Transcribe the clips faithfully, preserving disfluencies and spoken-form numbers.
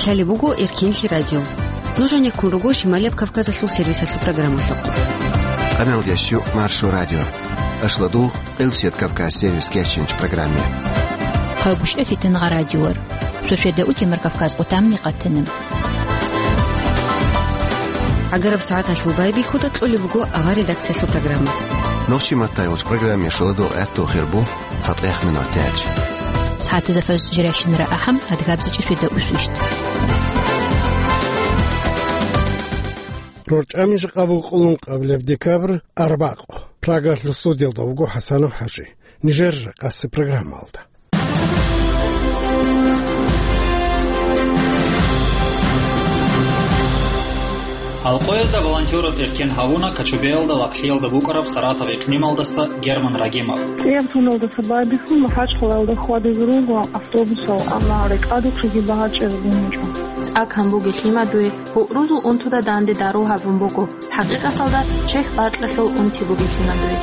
Гьале буго Эркенлъи радио. Нуж гьанеккун руго Шималияб Кавказалъул сервисалъул программалъухъ. Къамел ящу Маршо радио. Ашладу Элсет Кавказ сервис кечинч программе. Хъагушев Фитнагъа радиор. Шошеда утемар Кавказ къутамни къатана. Агараб сагӀаталъул байбихьуда кьолеб буго авар редакциялъул программа. Нохчи маттай уч программе шуладу гӀатту хирбу. ЦатӀех минут тяч. СагӀатазда фаз жирайщинара ахӀам, адгабзичӀи фида усвищт. РорчӀами жакъа буго къуллун къабилеб декабрь арбакъ. Прагалъул студиялда вуго ХӀасанов ХӀажи. Нижер жакъасе программалда. Алкъоязда волонтераз эркен гьавуна Кочубеялда лагълъиялда букӀараб Саратов икълималдаса Герман Рагимов. КӀияб туналдаса байбихьун МахӀачхъалаялда хьвадизе руго автобусал, амма рекӀадухъеги багьа чӀезабун гьечӀо. ЦӀакан бугелъима дуе, гьугӀрузул унтуда данде дару гьабун буго. ХӀакъикъаталда чехь бакьалъул унти бугелъима дуе.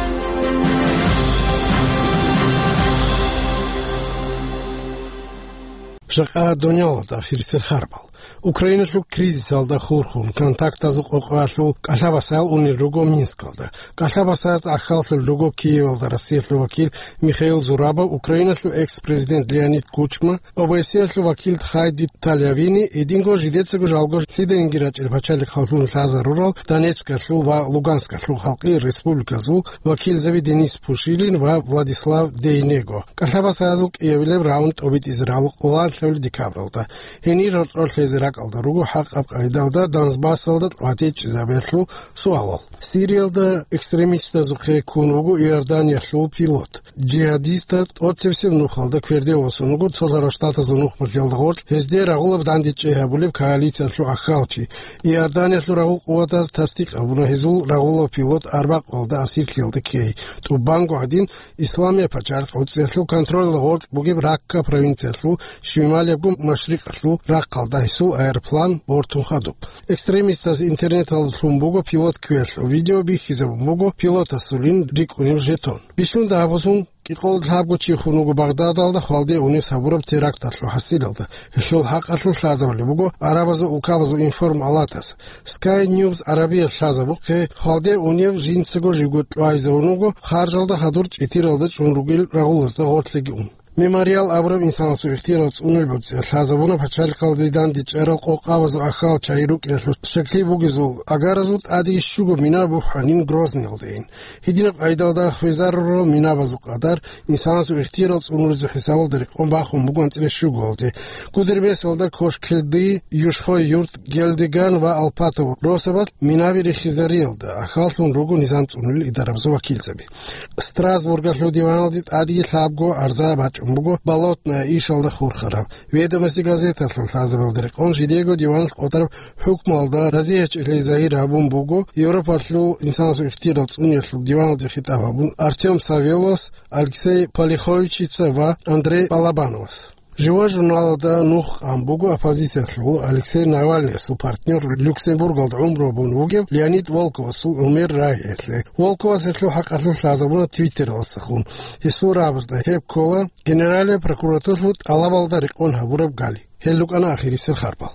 Жакъа дунялалда хирисел харбал. Украиналъул кризисалда хурхун, контактазул къокъаялъул кӀалъабасаял унел руго Минскалда. КӀалъабасаязда ахьаллъун руго Киевалда Россиялъул вакил Михаил Зурабов, Украиналъул экс-президент Леонид Кучма, ОБСЕ-ялъул вакил Хайди Талявини, гьединго жидецаго жалго лъиданиги рачӀел пачалихъаллъун лъазарурал Донецкалъул ва Луганскалъул халкъи республиказул вакилзаби Денис Пушилин ва Владислав Дейнего. КӀалъабасаязул кӀиабилеб раунд тӀобитӀизе рагӀула къоло лъабилеб декабралда. Гьенир гьоркьор лъезе ракӀалда руго хӀакъаб къайдалда Донбассалда ватичӀезабиялъул суалал. Сириялда экстремистазухъе ккун вуго Иорданиялъул пилот. Жигьадистаз тӀоцебесеб нухалда кверде восун вуго Цолъарав Штатазул нухмалъиялда гъоркь, гьезде рагъулаб данде чӀей гьабулеб коалициялъул ахьалчи. Иорданиялъул рагъул къуватаз тасдикъ гьабуна гьезул рагъулав пилот арбакъалда асирлъиялда ккей. ТӀубанго гӀадин, Исламияб пачалихъ гӀуцӀиялъул контролалда гъоркь бугеб Ракка провинциялъул шималиябго машрикъалъул рахъалда гьесул аэроплан бортун хадуб. Экстремистаз интернеталда лъун буго пилот кверлъун, видео бихьизабун буго пилотасулин рикӀкӀунеб жетон. Бищунда гьаб бусун кӀикъоялда лъабго чи хун вуго Багъдадалда хвалде унес гьабураб теракталъул хӀасилалда. Гьелъул хӀакъалъулъ лъазабулеб буго гӀарабазул улкабазул информалатас. Sky News Арабиялъ лъазабухъе, хвалде унев жинцаго живго кьвайзавун вуго харжалда хадур чӀитиралда чӀун ругел рагъулазда гъорлъиги ун. Мемориал абураб инсанасул ихтияр цӀунулеб гӀуцӀиялъ лъазабуна пачалихъалде данде чӀарал къокъабазул ахьал чагӀи рукӀиналъул щаклъи бугезул агаразул тӀадеги щуго мина бухӀанин Грозныйалдейин. Гьединаб къайдалда хвезарурал минабазул къадар инсанасул ихтияр цӀунулезул хӀисабалда рекъон бахун буго анцӀила щугоялде. Гудермесалда, Кошкилди, Юшхой-Юрт, Гелдеган ва Алпатово росабалъ минаби рихизариялда ахьаллъун руго низам цӀунулел идарабазул вакилзаби. Страсбургалъул диваналде тӀадеги лъабго гӀарза бачӀун буго Болотная ишалда хурхараб. Ведомости газеталъул лъазабалда рекъон жидего диваналъ къотӀараб хӀукмуялда разияхӀчӀилъи загьир гьабун буго Европалъул инсанасул ихтияр цӀуниялъул диваналде хитӀаб гьабун Артём Савеловас, Алексей Полиховичица ва Андрей Балабановас. Жива журналалда нух къан буго оппозициялъул Алексей Навальныясул партнер, Люксембургалда гӀумру гьабун вугев Леонид Волковасул гӀумер рагьиялъе. Волковас гьелъул хӀакъалъулъ лъазабуна Твиттералдасахун. Гьесул рагӀабазда гьеб ккола Генералияб прокуратуралъул тӀалабалда рекъон гьабураб гали. Гьел рукӀана ахирисел харбал.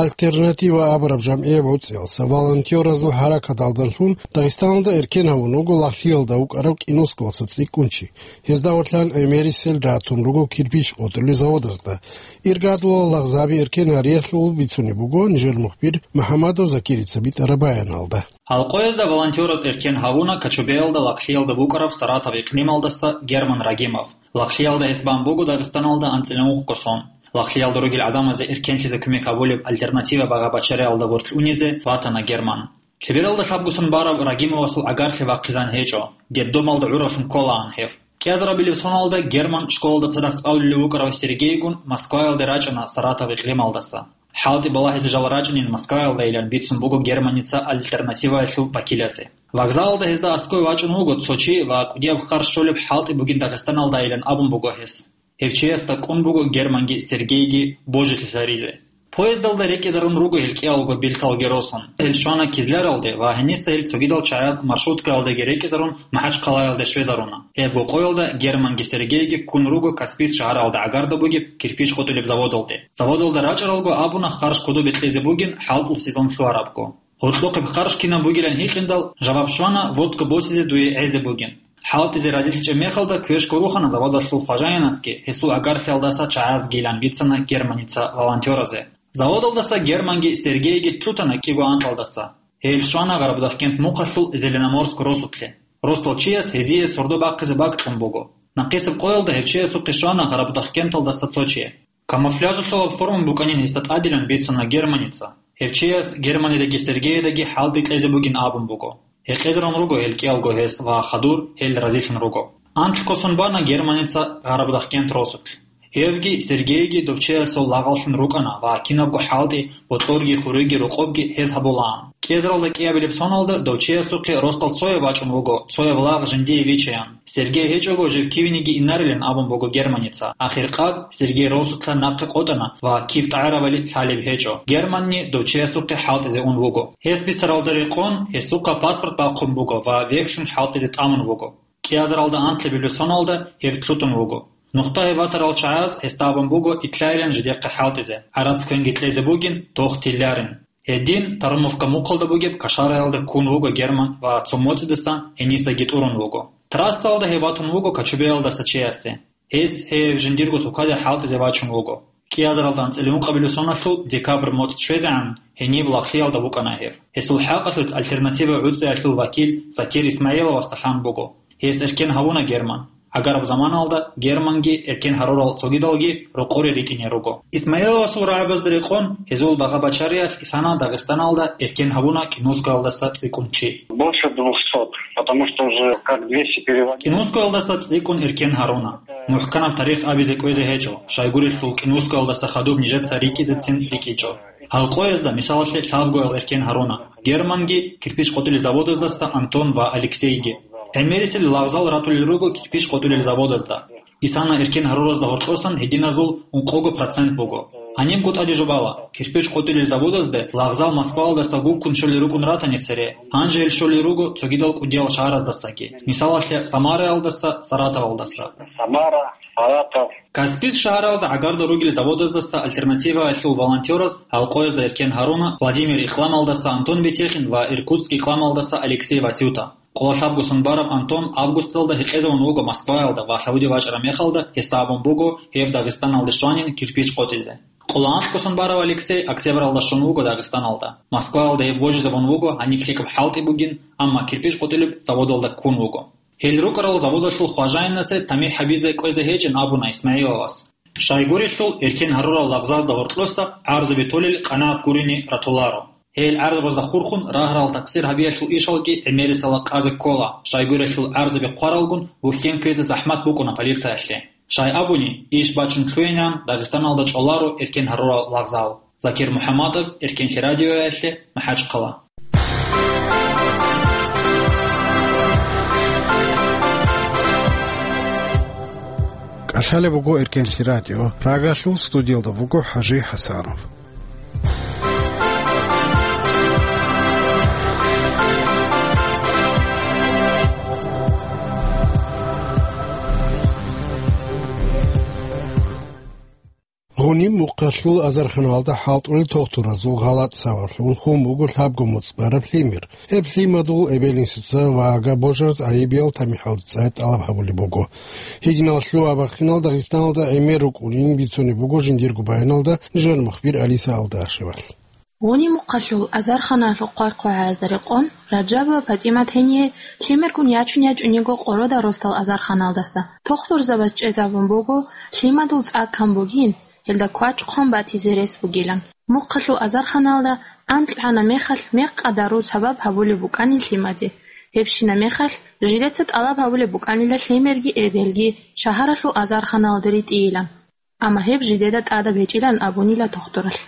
Альтернатива абураб жамгӀияб гӀуцӀиялса волонтеразул хӀаракаталдалъун Дагъистаналда эркен гьавун вуго Лахлиялда вукӀарав КӀинусковаса цӀикӀкӀунчи. Гьезда гьорлъан гӀемерисел ратун руго кирпич къотӀулел заводазда. Иргадулал лагъзаби эркен гьариялъул бицунеб буго нижер мухбир МухӀамадов Закирица битӀараб баяналда. Алкъоязда волонтераз эркен гьавуна Кочубеялда Лахлиялда букӀараб Саратов икълималдаса Герман Рагимов. Лахлиялда гьес бан буго Дагъистаналда анцӀила мухъго сон. Лахлиялда ругел гӀадамазе эркенлъизе кумек гьабулеб «Альтернатива» багъа-бачариялда гъорлъ унизе ватана Герман. Лъебералда лъабгусон бараб Рагимовасул агарлъи вахъизан гьечӀо, детдомалда гӀуралъун кколаан гьев. КӀиазарабилеб соналда Герман школалда цадахъ цӀалулев вукӀарав Сергейгун Москваялде рачӀана Саратов икълималдаса. ХӀалтӀи балагьизе жал рачӀинин Москваялдайилан бицун буго Германица «Альтернативаялъул» вакиласе. Вокзалалда гьезда аскӀове вачӀун вуго цо чи ва кӀудияб хъар щолеб хӀалтӀи бугин Дагъистаналдайилан абун буго гьес. Гьев чиясда кӀун буго Германги Сергейги божилъи гьаризе. Поездалда рекӀизарун руго гьел кӀиялго бирталги росун. Гьел щвана Кизляралде ва гьениса гьел цогидал чагӀаз маршруткаялдаги рекӀизарун МахӀачхъалаялде щвезаруна. Гьеб къоялда Германги Сергейги ккун руго Каспийск шагьаралда гӀагарда бугеб кирпич къотӀулеб заводалде. Заводалда рачӀаралго абуна харш кодобе кьезе бугин хӀалтӀул сезон лъугьарабго. Гьоркьохъеб харш кинаб бугилан гьикъиндал, жаваб щвана водка босизе дуе гӀезе бугин. ХӀалтӀизе разилъичӀеб мехалда квешго рухана заводалъул хважаинасги, гьесул гӀагарлъиялдаса чагӀазгийилан бицана Германица волонтёразе. Заводалдаса Германги Сергейги лъутана кӀиго анкьалдаса. Гьел щвана Гъарабудахкент мухъалъул Зеленоморск росулъе. Росдал чияс гьезие сордо бахъизе бакӀ кьун буго. Нахъисеб къоялда гьев чиясухъе щвана Гъарабудахкенталдаса цо чи. Камуфляжалъулаб форма букӀанин гьесда тӀадилан бицана Германица. Гьев чияс Германидаги Сергейидаги хӀалтӀи кьезе бугин абун буго. Гьекъезарун руго гьел кӀиялго гьес ва хадур гьел разилъун руго. Анкь косун бана Германица Гъарабудахкент росулъ. Гьевги Сергейги дов чиясул лагъаллъун рукӀана ва кинабго хӀалтӀи, бокьорги, хуриги, рокъобги гьез гьабулаан. КӀиазаралда кӀиабилеб соналда дов чиясухъе росдал цояв вачӀун вуго, цояв лагъ жиндие вичаян. Сергей гьечӀого жив кивениги инарилан абун буго Германица. Ахиркъад Сергей росулъа нахъе къотӀана ва кив тӀагӀаравали лъалеб гьечӀо. Германни дов чиясухъе хӀалтӀизе ун вуго. Гьес бицаралда рекъон гьесухъа паспорт бахъун буго ва вехьлъун хӀалтӀизе тӀамун вуго. КӀиазаралда анкьабилеб соналда гьеб лъутун вуго. Нухда гьеб ватарал чагӀаз гьесда абун буго итлъайилан жидехъе хӀалтӀизе, гӀарац квенги кьезе бугин, тох тилларин. Гьедин Тарумовка мухъалда бугеб кашараялда ккун вуго Герман ва цо моцӀидасан гьенисаги тӀурун вуго. Трассаялда гьев ватун вуго Кочубеялдаса чиясе. Гьес гьев жиндирго тукаде хӀалтӀизе вачун вуго. КӀиазаралда анцӀила ункъабилеб соналъул декабрь моцӀ щвезегӀан гьениб лагълъиялда вукӀана гьев. Гьесул хӀакъалъулъ альтернатива гӀуцӀиялъул вакил Закир Исмаиловасда лъан буго. Гьес эркен гьавуна Герман. ГӀагараб заманалда Германги эркен гьарурал цогидалги рокъоре ритӀине руго. Исмаиловасул рагӀабазда рекъон, гьезул багъа-бачариялъ исана Дагъистаналда эркен гьавуна КӀинускоялдаса цӀикӀкӀун чи. Больше двухсот, потому что уже как двести переводить. КӀинускоялдаса цӀикӀкӀун эркен гьаруна. МухӀканаб тарих абизе кӀвезе гьечӀо, щайгурелъул КӀинускоялдаса хадуб нижеца рикӀкӀизецин рикӀкӀинчӀо. Гьал къоязда, мисалалъе, лъабгоял эркен гьаруна. Германги кирпич къотӀулел заводазда Антон ва Алексейги. ГӀемерисел лагъзал ратулел руго кирпич къотӀулел заводазда. Исана эркен гьаруразда гьоркьосан гьединазул ункъого процент буго. Гьанибго тӀаде жубала, кирпич къотӀулел заводазде лагъзал Москваялдаса гуккун щолел рукӀун ратани цере, гьанже гьел щолел руго цогидал кӀудиял шагьараздасаги, мисалалъе, Самараялдаса, Саратовалдаса. Самара, Саратов. Каспийск шагьаралда гӀагарда ругел заводаздаса альтернативаялъул волонтераз гьал къоязда эркен гьаруна Владимир икьламалдаса Антон Бетехин ва Иркутск икьламалдаса Алексей Васюта. Къоло лъабго сон бараб Антон августалда гьекъезавун вуго Москваялда ва лъабуде вачӀараб мехалда гьесда абун буго гьев Дагъистаналде щванин кирпич къотӀизе. Къоло анцӀго сон барав Алексей октябралда щун вуго Дагъистаналда. Москваялда гьеб божизабун вуго гьаниб лъикӀаб хӀалтӀи бугин, амма кирпич къотӀулеб заводалда ккун вуго. Гьел рукӀарал заводалъул хважаинасе тамихӀ гьабизе кӀвезе гьечӀин абуна Исмаиловас. Щайгурелъул эркен гьарурал лагъзалда гьоркьоса гӀарзаби толел къанагӀат гурине ратуларо. Гьел гӀарзабазда хурхун рагьарал такъсир гьабиялъул ишалги гӀемерисела къазе ккола, щайгурелъул гӀарзаби хъваралгун бухьен кквезе захӀмат букӀуна полициялъе. Щай абуни, иш бачун лъугӀинегӀан Дагъистаналда чӀоларо эркен гьарурал лагъзал. Закир МухӀаммадов, Эркенлъи радиоялъе, МахӀачхъала. КӀалъалеб буго Эркенлъи радио. Прагалъул студиялда вуго ХӀажи ХӀасанов. Гъуниб мухъалъул азарханалда хӀалтӀулел тухтуразул гъалатӀ сабаблъун хун буго лъабго моцӀ бараб лъимер. Гьеб лъимадул эбел-инсуца ва агаб божараз гӀайибиял тамихӀалда цӀай тӀалаб гьабулеб буго. Гьединал лъугьа-бахъинал Дагъистаналда гӀемер рукӀунин бицунеб буго жиндирго баяналда нижер мухбир Алиса Алдашевалъ. Гъуниб мухъалъул азарханалъул хъвай-хъвагӀазда рекъон, Раджабова ПатӀимат гьение лъимергун ячун ячӀун йиго къородал росдал азарханалдаса. Тухтурзабаз чӀезабун буго, лъимадул цӀа ккан бугин, гьелда квачӀ хъван батизе рес бугилан. Мухъалъул азарханалда анкьана мехалъ мекъадарул сабаб гьабулеб букӀанин лъимаде. Гьебщина мехалъ, жидеца тӀалаб гьабулеб букӀанила лъимерги эбелги шагьаралъул азарханалде ритӀийилан. Амма гьеб жидеда тӀадаб гьечӀилан абунила тухтуралъ.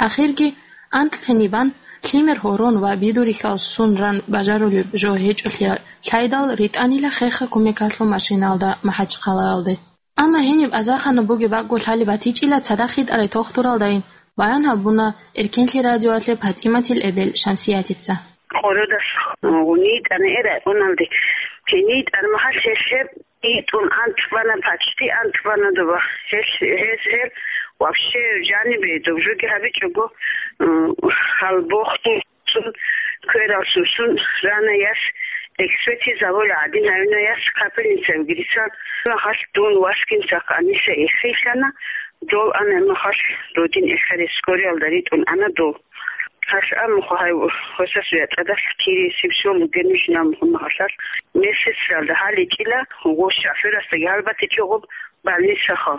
Ахирги, анкьлъи бан, лъимер гьорон ва бидурихьал сун ран бажарулеб жо гьечӀолъи лъайдал, ритӀанила хехго кумекалъул машиналда МахӀачхъалаялде. Амма гьениб азархана бугеб бакӀго лъалеб батичӀила цадахъ йитӀарай тухтуралдайин, баян гьабуна Эркенлъи радиоялъе ПатӀиматил эбел Шамсиятица. Къородас гьунитӀана эр районалде. ГьенитӀан махалъ гьелъ гьеб итӀун анцӀбана, почти анцӀбана доба. Гьелъ, гьез гьел вообще жанибе доб жоги гьабичӀого, м, гьалбохъ сун, кверал сусун рана яс, экспертиза гьабула гӀадин гьавина яс, капельница вигирисан, махалъ дун васгинца къаниса эхилъана, дол ана махалъ родин эхаре скориялда ритӀун ана дол. Гьалъ амухъ гьай гьосасуя тӀадалъ кири сибсион бугенищ намухъ махалъалъ месецалда гьаличӀила, гъо шофёрасдаги гьалбатичӀо гъоб больницаха.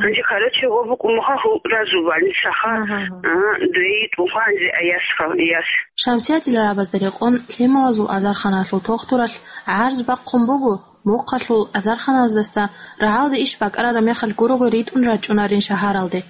Гьанже, короче, гъо букӀумуха гьуразул больницаха. Агьа, агьа. А, дуе йитӀунха гьанже аясха, аяс. Шамсиятил рагӀабазда рекъон лъималазул азарханалъул тохтуралъ гӀарз бахъун буго, мухъалъул азарханаздаса рагӀалде иш бакӀарараб мехалъ гурого ритӀун рачӀунарин шагьаралде.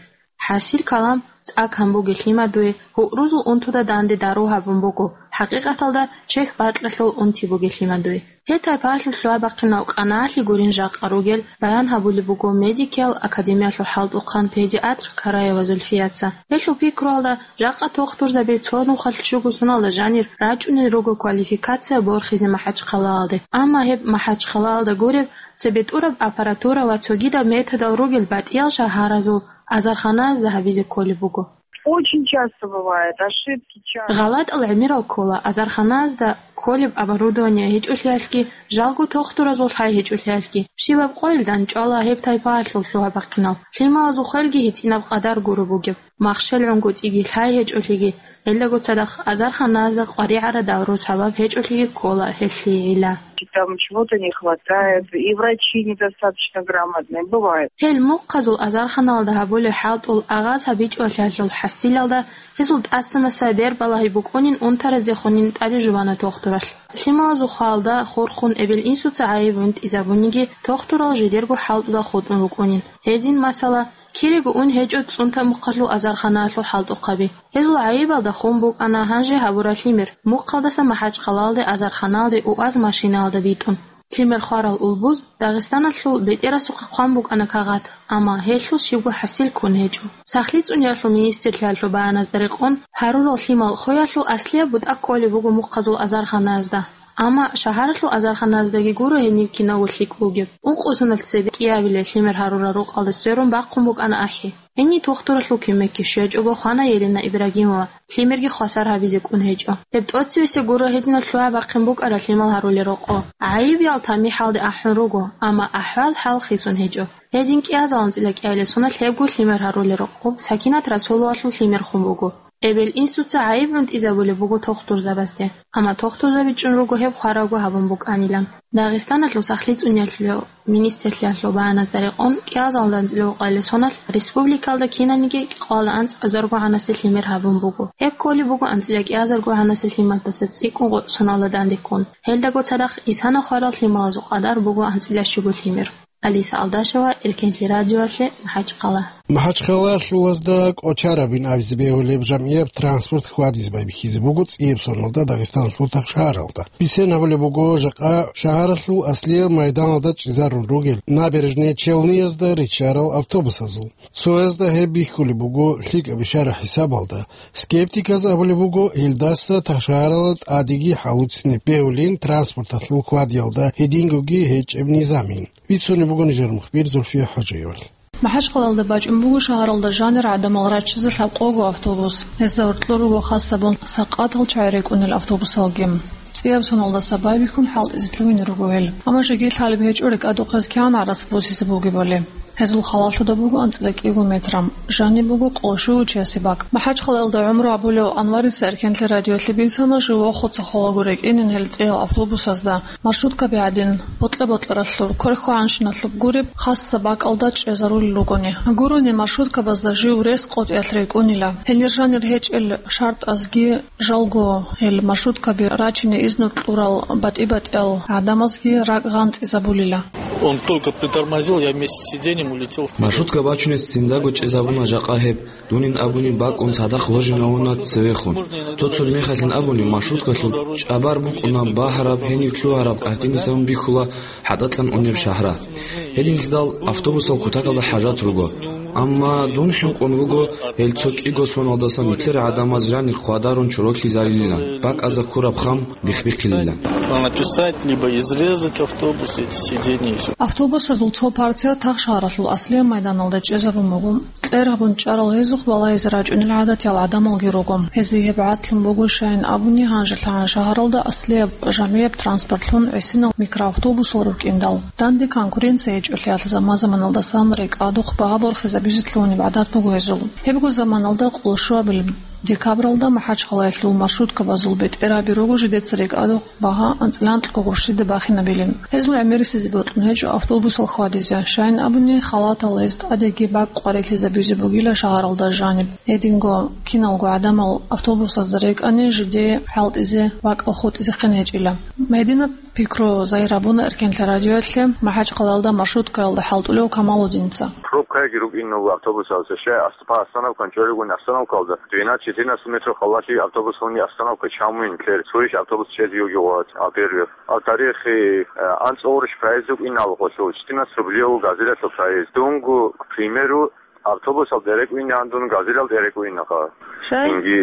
ХӀасил калам цӀакъ гьан бугелъима дуе, гьугӀрузул унтуда данде дару гьабун буго, хӀакъикъаталда чехь бакьалъул унти бугелъима дуе. Гьеб тайпаялъул лъугьа-бахъинал къаналъи гурин жакъа ругел баян гьабулеб буго медикиял академиялъул хӀалтӀухъан педиатр Караева Зульфияца. Гьелъул пикруялда, жакъа тохтурзаби цо нухалъ щуго соналда жанир рачӀунел руго квалификация борхизе МахӀачхъалаялде. Амма гьеб МахӀачхъалаялда гуреб, цебетӀураб аппаратура ва цогидаб методал ругел батӀиял шагьаразул азарханаязда гьабизе кколеб буго. Очень часто бывает, ошибки часто. ГъалатӀал гӀемерал ккола азарханаязда кколеб оборудование гьечӀолъиялъги, жалго тохтуразул лъай гьечӀолъиялъги. Щибаб къойил данчӀвала гьеб тайпаялъул лъугьа-бахъинал. Лъималазул хвелги гьитӀинаб къадар гуро бугеб. Махщел гӀунгутӀиги лъай гьечӀолъиги, гьелдаго цадахъ азарханаязда къваригӀараб давру сабаб гьечӀолъиги ккола гьелъие гӀилла. Там чего-то не хватает, и врачи недостаточно грамотные, бывает. Гьел мухъазул азарханалда гьабулеб хӀалтӀул агъаз гьабичӀолъиялъул хӀасилалда гьезул тӀасанаса бербалагьи букӀунин унтараздехунин тӀаде жубана тохтуралъ. Лъималазул хвалда хурхун эбел-инсуца гӀайиб гӀунтӀизабуниги, тохтурал жидерго хӀалтӀуда хутӀун рукӀунин. Гьедин, масала, кирего ун гьечӀо ЦӀунтамухъалъул азарханаялъул хӀалтӀухъаби. Гьезул гӀайибалда хун букӀана гьанже гьабураб лъимер, мухъалдаса МахӀачхъалаялде азарханалде уаз машинаялда битӀун. Лъимер хварал улбуз Дагъистаналъул бетӀерасухъе хъван букӀана кагъат, амма гьелъул щибго хӀасил ккун гьечӀо. Сахлъи цӀуниялъул министрлъиялъул баяназда рекъон, гьарурал лъимал хвеялъул аслияб бутӀа кколеб буго мухъазул азарханаязда. Амма шагьаралъул азарханаздаги гуро гьениб кинабго лъикӀ бугеб. Ункъо соналъ цебе кӀиабилеб лъимер гьарурал рукъалда сверун бахъун букӀана ахӀи. Гьениб тухтуралъул кумекги щвечӀого хвана Елена Ибрагимова, лъимерги хвасар гьабизе кӀун гьечӀо. Гьеб тӀоцебесеб гуро гьединаб лъугьа-бахъин букӀараб лъимал гьарулел рокъоб. ГӀайибиял тамихӀалде ахӀун руго, амма ахӀвал-хӀал хисун гьечӀо. Гьедин кӀиазул анцӀила кӀиабилеб соналъ гьебго лъимер гьарулел рокъоб Сакинат Расуловалъул лъимерхун буго. Эбел-инсуца гӀайиб гӀунтӀизабулеб буго тухтурзабазде, амма тухтурзаби чӀун руго гьеб хваралго гьабун букӀанилан. Дагъистаналъул сахлъи цӀуниялъул министрлъиялъул баяназда рекъон, кӀиазул анцӀила гьукъалъе соналъ республикалда кинаниги кӀикъоялда анцӀазарго гьанасе лъимер гьабун буго. Гьеб кколеб буго анцӀила кӀиазарго гьанасе лъималдаса цӀикӀкӀун гъо-, соналда данде ккун. Гьелдаго цадахъ исана хварал лъималазул къадар буго анцӀила щуго лъимер. Алиса Алдашева, Эркенлъи радиоялъе, МахӀачхъала. МахӀачхъалаялъулазда кӀочарабин абизе бегьулеб жамгӀияб транспорт хьвадизе байбихьизе буго цӀияб соналда Дагъистаналъул тахшагьаралда. Бицен гьабулеб буго, жакъа шагьаралъул аслияб майданалда чӀезарун ругел Набережные Челныязда риччарал автобусазул. Цоязда гьеб бихьулеб буго лъикӀаб ишара хӀисабалда. Скептиказ абулеб буго, гьелдаса тахшагьаралда тӀадеги хӀалуцинеб бегьулин транспорталъул хьвадиялда гьедингоги гьечӀеб низамин. Бицунеб буго нижер мухбир Зульфия ХӀожаевал. МахӀачхъалаялда бачӀун буго шагьаралда жанир гӀадамал раччизе лъабкъого автобус. Гьезда гьоркьор руго хасабун сакъатал чагӀи рекӀунел автобусалги. ЦӀияб соналдаса байбихьун хӀалтӀизе лъугьине руго гьел. Амма жеги лъалеб гьечӀо рекӀадухъе кигӀан гӀарац босизе бугебали. Гьезул халалъуда буго анцӀила кӀиго метр. Жаниб буго къо-, щуго чиясе бакӀ. МахӀачхъалаялда гӀумру гьабулев Анварица Эркенлъи радиоялъе бицана жив вохуца холаго рекӀинин гьел цӀиял автобусазда. Маршруткаби гӀадин, бокьа-бокьаралъуб, кверхьвагьанщиналъуб гуреб, хасса бакӀалда чӀезарулел ругони. Гурони маршруткабазда жив рес къотӀиялъ рекӀунила. Гьенир жанир гьечӀел шартӀазги жалго гьел маршруткаби рачине изну кьурал батӀи-батӀиял гӀадамазги ракӀ гъанцӀизабулила. Он только притормозил, я вместе с сиденьем улетел вперёд. Маршрутка бачунес циндаго чӀезабуна жакъа гьеб. Дунин абуни бакӀун цадахъ ложин гьавуна цевехун. Цо-цо мехалъин абуни, маршруткалъул чӀабар букӀуна багьараб, гьенив лъугьараб картинисабун бихьула хӀатӀакьан унеб шагьра. Гьединлъидал автобусал кутакалда хӀажат руго. Амма дун хӀинкъун вуго, гьел цо кӀиго соналдасан нилъер гӀадамаз жанир хъвадарун чороклъизарилилан, бакӀазда ккураб хам бихбихъилилан. Написать либо изрезать автобус, эти сиденья и всё. Автобусазул цо партия Тахшагьаралъул Аслияб майданалда чӀезабун буго. Кьер гьабун чӀарал гьезухъ балагьизе рачӀунел гӀадатиял гӀадамалги руго. Гьезие гьеб гӀадлъун буго, щайин абуни, гьанжелъагӀан шагьаралда аслияб жамигӀаб транспортлъун гӀисинал микроавтобусал рукӀиндал. Данде конкуренция гьечӀолъиялъ заман-заманалдасан рекӀадухъ багьа борхизабизе лъугьунеб гӀадат буго гьезул. Гьебго заманалда къоло щуабилеб декабралда МахӀачхъалаялъул маршруткабазул бетӀераби руго жидеца рекӀадухъ багьа анцӀила анкьго гъурщида бахинабилин. Гьезул гӀемерисезе бокьун гьечӀо автобусал хьвадизе, щайин абуни, халатал гьез тӀадеги бакӀ къварилъизабизе бугила шагьаралда жаниб. Гьединго киналго гӀадамал автобусазда рекӀани, жидее хӀалтӀизе бакӀал хутӀизехъин гьечӀила. Гьединаб пикру загьир гьабуна Эркенлъа радиоялъе МахӀачхъалаялда маршруткаялда хӀалтӀулев Камалудинца. Пробкаги рукӀин автобусалца, щай, аст-, по остановкан чӀоригун остановкалда двенадцать-четырнадцать метров халалъи автобус гьуни остановка чамуин ккер, цоящ автобус чӀезиги гъват, а первых. А тарихи, э, анцӀ гъурущ проезд рукӀин алгъолъул, четырнадцать рублев газелалъул проезд. Дунго, к примеру, автобусал тӀерекӀуинегӀан дун газелал тӀерекӀуинаха. Щай? Инги,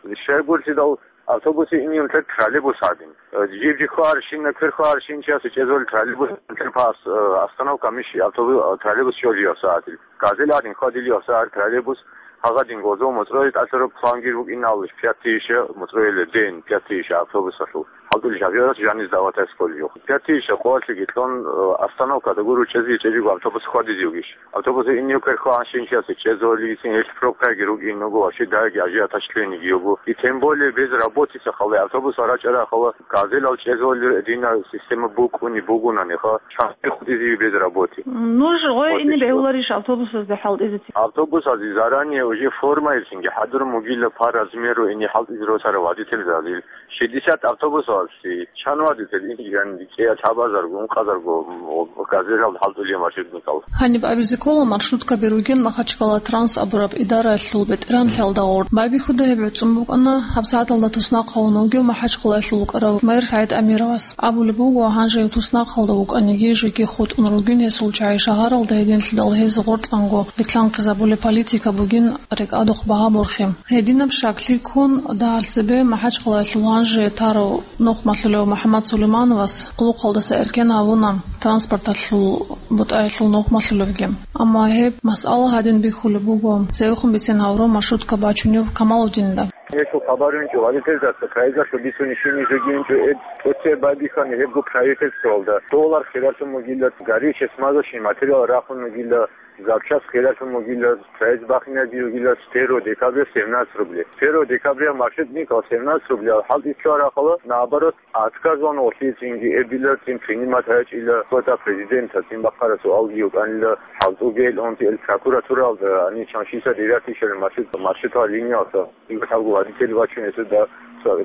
э, щайгурцидал автобусе инин лъе троллейбус гьадин. Э, жиб-жиб хварщина, квер хварщин чиясе чӀезол троллейбус лъе пас, э, остановка миш автобус, э, троллейбус чӀолиев сагӀатил. Газел гьадин хвадилиев сагӀат троллейбус, гьагъадин гозо муцӀрой тӀалъараб плангир букӀиналлаш пятиша муцӀройле ден, пятиша автобусалъул. ХӀалтӀулел шофёрас жаниз даватасколиев. Пятиша къоялъеги кьун, э, остановкада гуро чӀезги чӀезиго автобус хвадизевгищ. Автобусе инев квер хванщинчиясе чӀезолигицин гьелъ пробкаги рукӀин руго, вообще даги ажиотаж лъугьиниги буго. И тем более без работица хала, автобус арачӀара хала, газелал чӀезолил дина система букӀуни бугунаниха, чанги хутӀизеги без работы. Ну, ж-, гъой Вот ини и всё. Бегьуларищ автобусазда хӀалтӀизети? Автобусазе заранее уже формаялъинги хӀадурун бугила по размеру ини хӀалтӀизе росарав водительзазил. Шестьдесят автобусалъе чан вадител ин, ян, кӀияб лъабазарго, ункъазарго, м, газелал хӀалтӀулев машинникал. Гьаниб абизе ккола маршруткаби ругин Махачкала Транс абураб идараялъул бетӀергьанлъиялда гъоркь. Байбихьуда гьеб гӀуцӀун букӀана гьабсагӀаталда туснахъ гьавун вугев Махачкалаялъул вукӀарав мэр ХӀайд Амировас. Абулеб буго, гьанже туснахъалда вукӀаниги, жеги хутӀун ругин гьесул чагӀи шагьаралда гьединлъидал гьез гъоркьанго битлъанхъизабулеб политика бугин рекӀадухъ багьа борхи. Гьединаб щаклъи ккун, дагьалъ цебе МахӀачкъалаялъул гьанже тарав нухмалъулев МухӀаммад Сулеймановас къулухъалдаса эркен гьавуна транспорталъул бутӀаялъул нухмалъулевги. Амма гьеб масъала гьадин бихьулеб буго цевехун бицен гьавурав маршрутка бачунев Камалудинда. Гьелъул хабар гьечӀо, водительзаса проездалъул бицунищинищ жеги гьечӀо, эд тӀоцебе байбихьани гьебго правительствоялда. Доллар хиралъун бугила, горючее смазочный материал рахун бугила, запчасть хиралъун бугила, проезд бахинаги бугила с первого декабря семнадцать рублей. С первого декабря маршрутникал семнадцать рублей, ал хӀалтӀи цо рахъала, наоборот, отказывал гъолъие цинги эбила, цин принимать гьачӀила, квота президента, цин бахъара суалги букӀанила, хӀалтӀуге ил унти ил прокуратуралда, ани чаншиса девятый шел маршрут, маршрутал линиялда. Гьабго водитель вачун гьесда,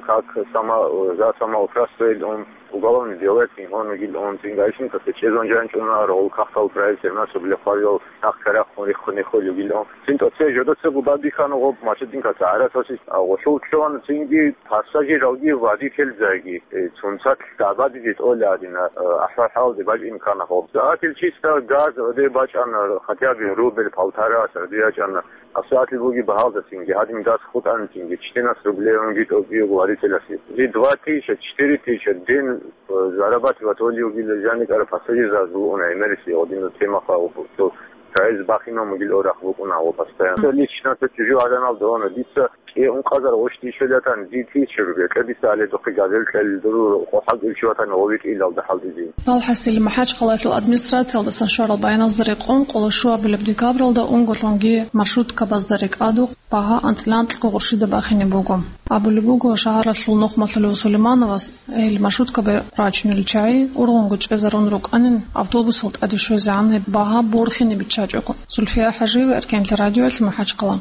как само-, за самоуправство ил ун, уголовный дело цин гьонигил ун, цин гаишникасда чӀезан жанчӀуна, рогъул кахтал проект семнадцать рублей хъварил нах карахъун риххун риххулев гил ун. Цин тӀоце жодоцего бадихьана гъоб машинкаса гӀаратаси, а, гъолъул чӀун цинги пассажиралги водительзаги, э, цунцат дабадизе тӀола гьадина, э, ахӀвал-хӀалде бачӀин ккана гъоб. Загьатил чиста газ оде бачӀана, хотя бы рубль полтора сарде ячӀана. Асиатли буги багьалдасинги, гьадин газ хутӀанцинги, четырнадцать рублей унги тӀокӀиего варителаси. Жи два тысяча, четыре тысяча ден, э, зарабатывать вали угила жаникара пассажирзаз бугуна гӀемериси гъодинал темаха угу. Цо цаиз бахинав мугил орахъ букӀуна гъо постоянно. Лично цо чужу гӀаданал дона. Дица кӀе ункъазар гъощтичулатан, ди тысяча рублей, кье дица гьале духъе газел кьел дур, хъо хӀалтӀулчи ватан гъовитӀилалда хӀалтӀизе. Валхасил, МахӀачхъалаялъул администрациялдасан щварал баяназда рекъон, къоло щуабилеб декабралда унголъунги маршруткабазда рекӀадухъ багьа анцӀила анкьго гъурщида бахине буго. Абулеб буго, шагьаралъул нухмалъулев Сулеймановас гьел маршруткаби рачунел чагӀи ургъунго чӀезарун рукӀанин, автобусал тӀаде щвезегӀан гьеб багьа борхине биччачӀого. Зульфия ХӀажиева, Эркенлъи радиоялъ, МахӀачхъала.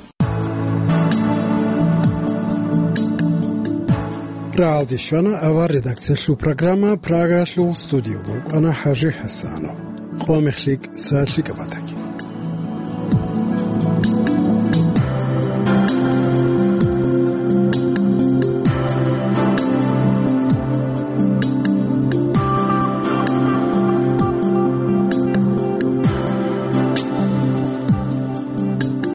Рагьалде щвана авар редакциялъул программа. Прагалъул студиялда вукӀана ХӀажи ХӀасанов. Къо мехлъи, са лъикӀаб батаги.